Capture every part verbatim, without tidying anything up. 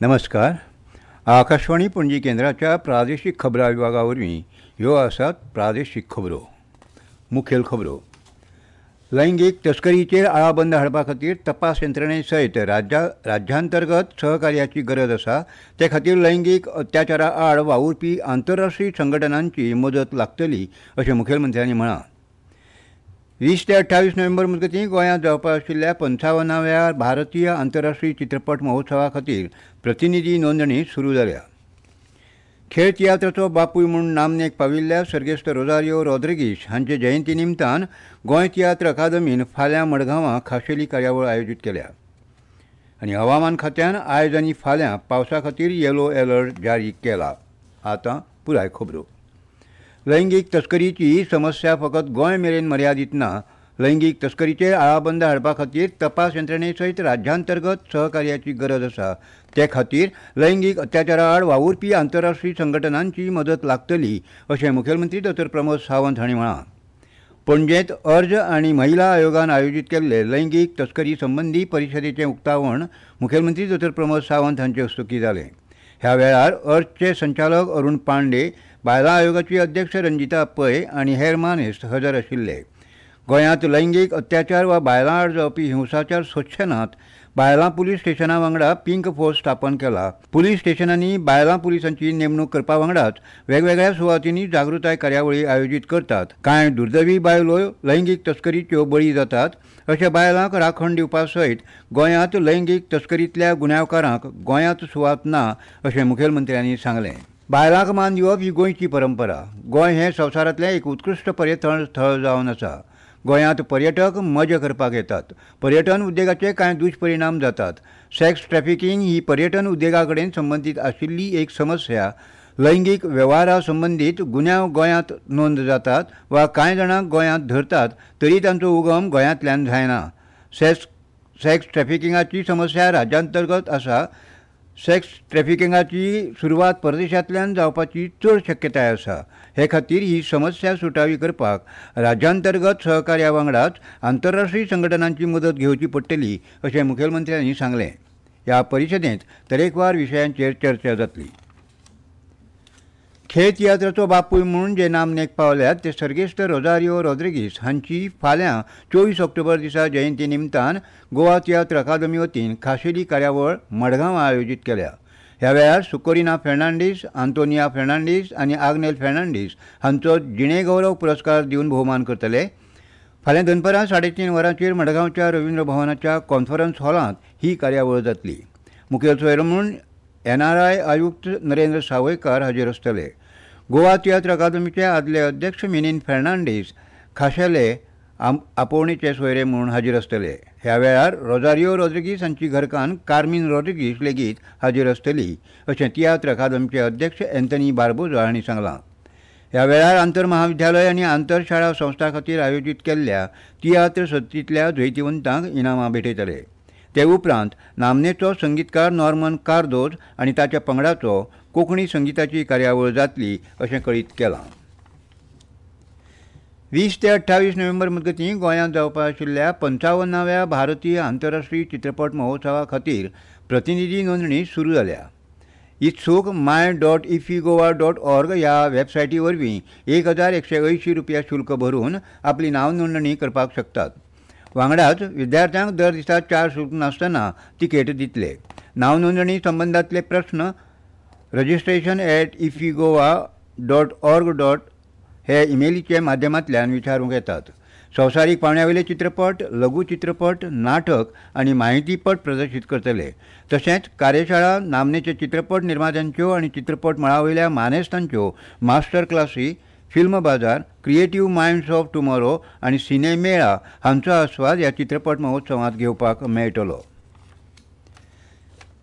नमस्कार. आकाशवाणी पणजी केंद्राच्या प्रादेशीक खबरां विभागा वरवीं ह्यो आसात प्रादेशीक खबरो. मुखेल खबरो. लैंगीक तस्करीचेर आळाबंद हाडपा खातीर तपास यंत्रणे सयत राज्या राज्यांतर्गत सहकार्याची गरज आसा. ते खातीर लैंगीक अत्याचारा आड वावुरपी आंतरराष्ट्रीय संघटनांची मदत लागतली अशें मुखेलमंत्र्यांनी म्हळां. वीस ते अठ्ठावीस नोव्हेंबर मजगतीं गोंयांत जावपा आशिल्ल्या पंचावनाव्या भारतीय आंतरराष्ट्रीय चित्रपट महोत्सवा खातीर प्रतिनिधी नोंदणी सुरू जाल्या. खेळ तियात्राचो बापूय म्हूण नामनेक पाविल्ल्या सर्गेस्त रोजारियो रॉड्रिगीश हांचे जयंती निमतान गोंय तियात्र अकादमीन फाल्यां मडगांवां खाशेली कार्यावळ आयोजीत केल्या. आनी हवामान खात्यान आयज आनी फाल्यां पावसा खातीर येलो अलर्ट जारी केला. आतां पुराय खबरो. लैंगीक तस्करीची समस्या फकत गोंय मेरेन मर्यादीत ना. लैंगीक तस्करीचेर आळाबंद हाडपा खातीर तपास यंत्रणे सयत राज्यांतर्गत सहकार्याची गरज आसा. ते खातीर लैंगीक अत्याचारा आड वावुरपी आंतरराष्ट्रीय संघटनांची मदत लागतली अशें मुखेलमंत्री डॉक्टर प्रमोद सावंत हांणी म्हळां. पणजेंत अर्ज आनी महिला आयोगान आयोजीत केल्ले लैंगीक तस्करी संबंदी परिशदेचें उक्तावण मुखेलमंत्री डॉक्टर प्रमोद सावंत हांचे हस्तुकीं जालें. ह्या वेळार अर्जचे संचालक अरुण पांडे, बायलां आयोगाची अध्यक्ष रंजिता पै आनी हेर मानेस्त हजर आशिल्ले. गोंयांत लैंगीक अत्याचार वा बायलां आड जावपी हिंसाचार सोंसचे नात. बायलां पुलीस स्टेशना वांगडा पिंक फोर्स स्थापन केला. पुलीस स्टेशनांनी बायलां पुलिसांची नेमणूक करपा वांगडाच वेगवेगळ्या सुवातींनी जागृताय कार्यावळी आयोजीत करतात. कांय दुर्दैवी बायलो लैंगीक तस्करीच्यो बळी जातात. अशा बायलांक राखण दिवपा सयत गोंयांत लैंगीक तस्करींतल्या गुन्यांवकारांक गोंयांत सुवात ना अशें मुखेलमंत्र्यांनी सांगलें. बायलांक मान दिवप ही गोंयची परंपरा. गोंय हें संवसारांतलें एक उत्कृश्ट पर्यटन थळ जावन आसा. गोंयांत पर्यटक मजा करपाक येतात. पर्यटन उद्देगाचे कांय दुश्परिणाम जातात. सेक्स ट्रॅफिकींग ही पर्यटन उद्देगा कडेन संबंदीत आशिल्ली एक समस्या. लैंगीक वेव्हारा संबंदीत गुन्यांव गोंयांत नोंद जातात वा कांय जाणांक गोंयांत धरतात तरी तांचो उगम गोंयांतल्यान जायना. सेक्स सेक्स ट्रॅफिकिंगाची समस्या राज्यांतर्गत आसा. सेक्स ट्रॅफिकिंगाची सुरवात परदेशांतल्यान जावपाची चड शक्यताय आसा. हे खातीर ही समस्या सुटावी करपाक राज्यांतर्गत सहकार्या वांगडाच आंतरराष्ट्रीय संघटनांची मदत घेवची पडटली अशें मुखेलमंत्र्यांनी सांगलें. ह्या परिशदेंत तरेकवार विशयांचेर चर्चा जातली. खेळ तियात्राचो बापूय म्हूण जे नामनेक पावल्यात ते सर्गेस्त रोजारियो रॉड्रिगीस हांची फाल्यां चोवीस ऑक्टोबर दिसा जयंती निमतान गोवा तियात्र अकादमी वतीन खाशेली कार्यावळ मडगांवां आयोजीत केल्या. ह्या वेळार सुकोरिना फेर्नांडीस, आंतोनिया फेर्नांडीस आनी आग्नेल फेर्नांडीस हांचो जिणेगौरव पुरस्कार दिवन भोवमान करतले. फाल्यां दनपरां साडे तीन वरांचेर मडगांवच्या रवींद्र भवनाच्या कॉन्फरन्स हॉलांत ही कार्यावळ जातली. मुखेल सोयरो म्हूण एन आर I आयुक्त नरेंद्र सावयकार हाजीर आसतले. गोवा तियात्र अकादमीचे आदले अध्यक्ष मिनीन फेर्नांडीस खाशेले आपोवणेचे सोयरे म्हूण हाजीर आसतले. ह्या वेळार रोजारियो रॉड्रिगीस हांची घरकान्न कार्मीन रॉड्रिगीस लेगीत हाजीर आसतली अशें तियात्र अकादमीचे अध्यक्ष एंथनी बार्बोजा हांणी सांगलां. ह्या वेळार आंतर महाविद्यालय आनी आंतरशाळा संस्था खातीर आयोजीत केल्ल्या तियात्र सर्तींतल्या जैतिवंतांक इनामां भेटयतले. ते उपरांत नामनेचो संगीतकार नॉर्मन कार्दोज आनी ताच्या पंगडाचो कोंकणी संगिताची कार्यावळ जातली अशें कळीत केलां. वीस ते अठ्ठावीस नोव्हेंबर मजगतीं गोंयांत जावपा आशिल्ल्या पंचावनाव्या भारतीय आंतरराष्ट्रीय चित्रपट महोत्सवा खातीर प्रतिनिधी नोंदणी सुरू जाल्या. इत्सूक my dot IFFI Goa dot org ह्या वेबसायटी वरवीं एक हजार एकशे अंयशीं रुपया शुल्क भरून आपली नांव नोंदणी करपाक शकतात. वांगडाच विद्यार्थ्यांक दर दिसा चार शुल्क नासतना तिकेट दितले. नांव नोंदणी संबंदांतले प्रस्न registration at IFFI Goa dot org dot हे इमेलीच्या माध्यमांतल्यान विचारूंक येतात. संवसारीक पांवड्यावयले चित्रपट, लघु चित्रपट, नाटक आनी म्हायतीपट प्रदर्शीत करतले. तशेंच कार्यशाळा, नामनेचे चित्रपट निर्मात्यांच्यो आनी चित्रपट मळावयल्या मानेस्तांच्यो मास्टर क्लासी, फिल्म बाजार, क्रिएटीव मायंड्स ऑफ टुमॉरो आनी सिने मेळा हांचो आस्वाद ह्या चित्रपट महोत्सवांत घेवपाक मेळटलो.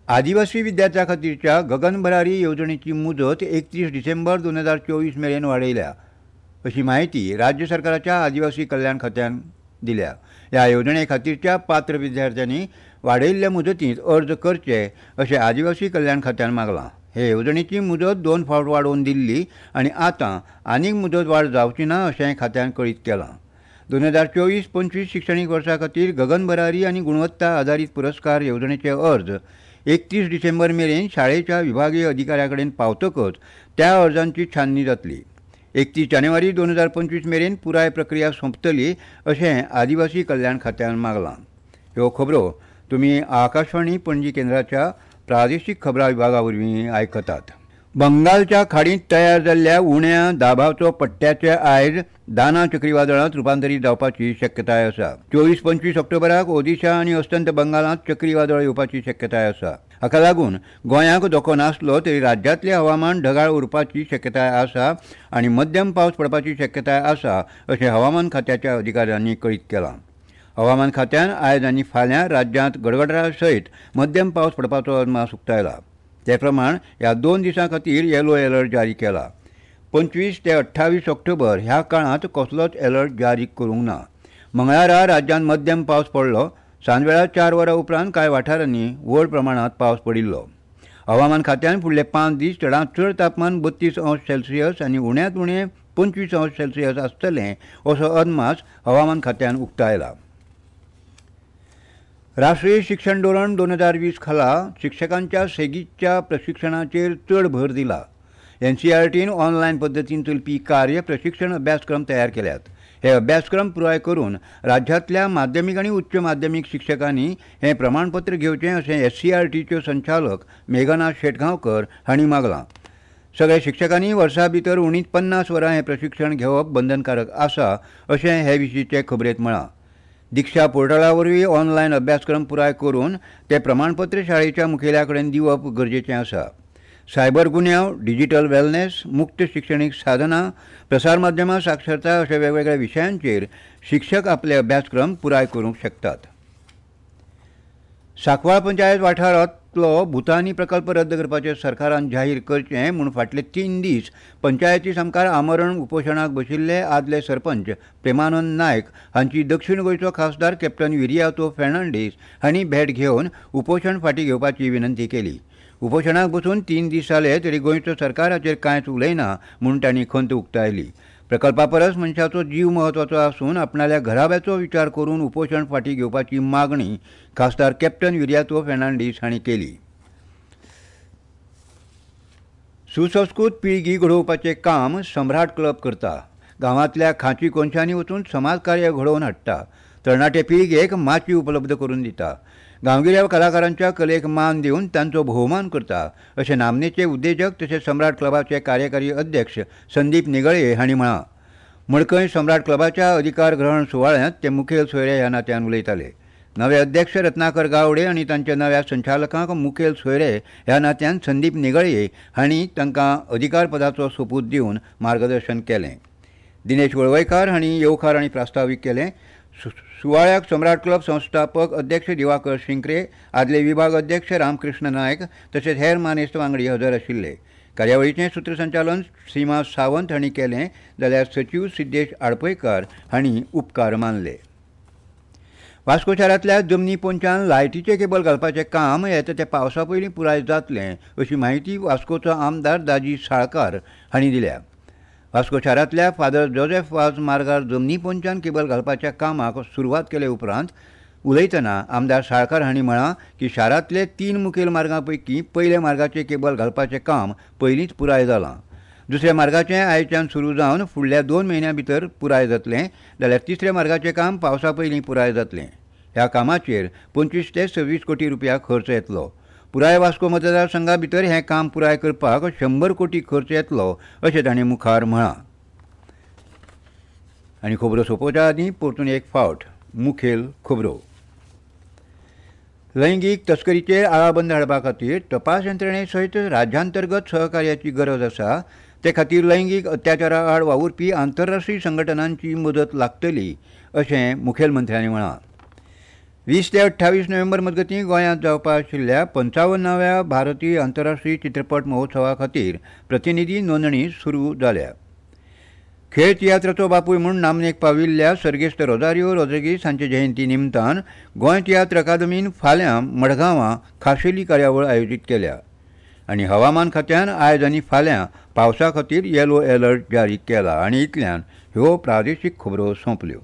आदिवासी विद्यार्थ्यां खातीरच्या गगन भरारी येवजणेची मुदत एकतीस डिसेंबर दोन हजार चोवीस मेरेन वाडयल्या अशी म्हायती राज्य सरकाराच्या आदिवासी कल्याण खात्यान दिल्या. ह्या येवजणे खातीरच्या पात्र विद्यार्थ्यांनी वाडयल्ल्या मुदतींत अर्ज करचे अशें आदिवासी कल्याण खात्यान मागलां. हे येवजणेची मुदत दोन फावट वाडोवन दिल्ली आनी आतां आनीक मुदत वाड जावची ना अशें खात्यान कळीत केलां. दोन हजार चोवीस पंचवीस शिक्षणीक वर्सा खातीर गगन भरारी आनी गुणवत्ता आदारीत पुरस्कार येवजणेचे अर्ज एकतीस डिसेंबर मेरेन शाळेच्या विभागीय अधिकाऱ्या कडेन पावतकच त्या अर्जांची छाननी जातली. एकतीस जानेवारी दोन हजार पंचवीस मेरेन पुराय प्रक्रिया सोंपतली अशें आदिवासी कल्याण खात्यान मागलां. ह्यो खबरो तुमी आकाशवाणी पणजी केंद्राच्या प्रादेशीक खबरां विभागा वरवीं आयकतात. बंगालच्या खाडींत तयार जाल्ल्या उण्या दाबाचो पट्ट्याचे आयज दाना चक्रीवादळांत रुपांतरीत जावपाची शक्यताय आसा. चोवीस पंचवीस ऑक्टोबराक ओदिशा आनी अस्तंत बंगालांत चक्रीवादळ येवपाची शक्यताय आसा. हाका लागून गोंयाक धोको नासलो तरी राज्यांतलें हवामान ढगाळ उरपाची शक्यताय आसा आनी मध्यम पावस पडपाची शक्यताय आसा अशें हवामान खात्याच्या अधिकाऱ्यांनी कळीत केलां. हवामान खात्यान आयज आनी फाल्यां राज्यांत गडगडा सयत मध्यम पावस पडपाचो अदमास उक्तायला. ते प्रमाण ह्या दोन दिसां खातीर येलो अलर्ट जारी केला. पंचवीस ते अठ्ठावीस ऑक्टोबर ह्या काळांत कसलोच अलर्ट जारी करूंक ना. मंगळारा राज्यांत मध्यम पावस पडलो. सांजवेळा चार वरां उपरांत कांय वाठारांनी व्हड प्रमाणांत पावस पडिल्लो. हवामान खात्यान फुडले पांच दीस चडांत चड तापमान बत्तीस अंश सेल्सियस आनी उण्यांत उणें पंचवीस अंश सेल्सियस आसतलें असो अदमास हवामान खात्यान उक्तायला. राष्ट्रीय शिक्षण धोरण दोन हजार वीस खाला शिक्षकांच्या सेगीतच्या प्रशिक्षणाचेर चड भर दिला. एन सी आर टीन ऑनलायन पद्दतीन चलपी कार्य प्रशिक्षण अभ्यासक्रम तयार केल्यात. हे अभ्यासक्रम पुराय करून राज्यांतल्या माध्यमीक आनी उच्च माध्यमीक शिक्षकांनी हें प्रमाणपत्र घेवचें अशें एस सी आर टीच्यो संचालक मेघना शेटगांवकर हांणी मागलां. सगळ्या शिक्षकांनी वर्सा भितर उणीच पन्नास वरां हें प्रशिक्षण घेवप बंधनकारक आसा अशें हे विशींचे खबरेंत म्हळां. दीक्षा पोर्टला वरवीं ऑनलायन अभ्यासक्रम पुराय करून ते प्रमाणपत्र शाळेच्या मुखेल्या कडेन दिवप गरजेचें आसा. सायबर गुन्यांव, डिजिटल वेलनेस, मुक्त शिक्षणीक साधनां, प्रसार माध्यमां साक्षरता अशा वेगवेगळ्या विशयांचेर शिक्षक आपले अभ्यासक्रम पुराय करूंक शकतात. सांकवाळ पंचायत वाठारांतलो भुतानी प्रकल्प रद्द करपाचें सरकारान जाहीर करचें म्हूण फाटले तीन दीस पंचायती सामकार आमरण उपोशणाक बशिल्ले आदले सरपंच प्रेमानंद नायक हांची दक्षिण गोंयचो खासदार कॅप्टन विरियातो फेर्नांडीस हांणी भेट घेवन उपोशण फाटीं घेवपाची विनंती केली. उपोशणाक बसून तीन दीस जाले तरी गोंयचो सरकार हाचेर कांयच उलयना म्हूण तांणी खंत उक्तायली. प्रकल्पा परस मनशाचो जीव म्हत्वाचो आसून आपणाल्या घराब्याचो विचार करून उपोशण फाटीं घेवपाची मागणी खासदार कॅप्टन विरियातो फेर्नांडीस हांणी केली. सुसंस्कृत पिळगी घडोवपाचें काम सम्राट क्लब करता. गांवांतल्या खांची कोनशांनी वचून समाजकार्य घडोवन हाडटा. तरणाटे पिळगेक माची उपलब्ध करून दिता. गांवगिऱ्या कलाकारांच्या कलेक मान दिवन तांचो भोवमान करता अशें नामनेचे उद्देजक तशेंच सम्राट क्लबाचे कार्यकारी अध्यक्ष संदीप निगळे हांणी म्हळां. मडकय सम्राट क्लबाच्या अधिकार ग्रहण सुवाळ्यांत ते मुखेल सोयरे ह्या नात्यान उलयताले. नवे अध्यक्ष रत्नाकर गावडे आनी तांच्या नव्या संचालकांक मुखेल सोयरे ह्या नात्यान संदीप निगळे हांणी तांकां अधिकारपदाचो सोपूत दिवन मार्गदर्शन केलें. दिनेश वळवयकार हांणी येवकार आनी प्रास्तावीक केलें. सुवाळ्याक सम्राट क्लब संस्थापक अध्यक्ष दिवाकर शिंक्रे, आदले विभाग अध्यक्ष रामकृष्ण नायक तशेंच हेर मानेस्त वांगडी हजर आशिल्ले. कार्यावळीचें सूत्रसंचालन सीमा सावंत हांणी केलें जाल्यार सचीव सिद्धेश आडपयकार हांणी उपकार मानले. वास्को शारांतल्या जमनी पोंच्यान लायटीचें केबल घालपाचें काम येता त्या पावसा पयलीं पुराय जातलें अशी म्हायती वास्कोचो आमदार दाजी साळकार हांणी दिल्या. वास्को शारांतल्या फादर जोसेफ वाज मार्गार जमनी पोंच्यान केबल घालपाच्या कामाक सुरवात केले उपरांत उलयतना आमदार साळकार हांणी म्हळां की शारांतले तीन मुखेल मार्गां पैकी पयल्या मार्गाचें केबल घालपाचें काम पयलींच पुराय जालां. दुसऱ्या मार्गाचें आयच्यान सुरू जावन फुडल्या दोन म्हयन्यां भितर पुराय जातलें जाल्यार तिसऱ्या मार्गाचें काम पावसा पयलीं पुराय जातलें. ह्या कामाचेर पंचवीस ते सव्वीस कोटी रुपया खर्च येतलो. पुराय वास्को मतदारसंघा भितर हें काम पुराय करपाक शंबर कोटी खर्च येतलो अशें तांणी मुखार म्हळां. आनी खबरो सोंपोवच्या आदीं परतून एक फावट मुखेल खबरो. लैंगीक तस्करीचेर आळाबंद हाडपा खातीर तपास यंत्रणे सयत राज्यांतर्गत सहकार्याची गरज आसा. ते खातीर लैंगीक अत्याचारा आड वावुरपी आंतरराष्ट्रीय संघटनांची मदत लागतली अशें मुखेलमंत्र्यांनी म्हळां. वीस ते अठ्ठावीस नोव्हेंबर मजगतीं गोंयांत जावपा आशिल्ल्या पंचावन्नाव्या भारतीय आंतरराष्ट्रीय चित्रपट महोत्सवा खातीर प्रतिनिधी नोंदणी सुरू जाल्या. खेळ तियात्राचो बापूय म्हूण नामनेक पाविल्ल्या सर्गेस्त रोजारियो रोद्रिगीस हांचे जयंती निमतान गोंय तियात्र अकादमीन फाल्यां मडगांवां खाशेली कार्यावळ आयोजीत केल्या. आनी हवामान खात्यान आयज आनी फाल्यां पावसा खातीर येलो अलर्ट जारी केला. आनी इतल्यान ह्यो प्रादेशीक खबरो सोंपल्यो.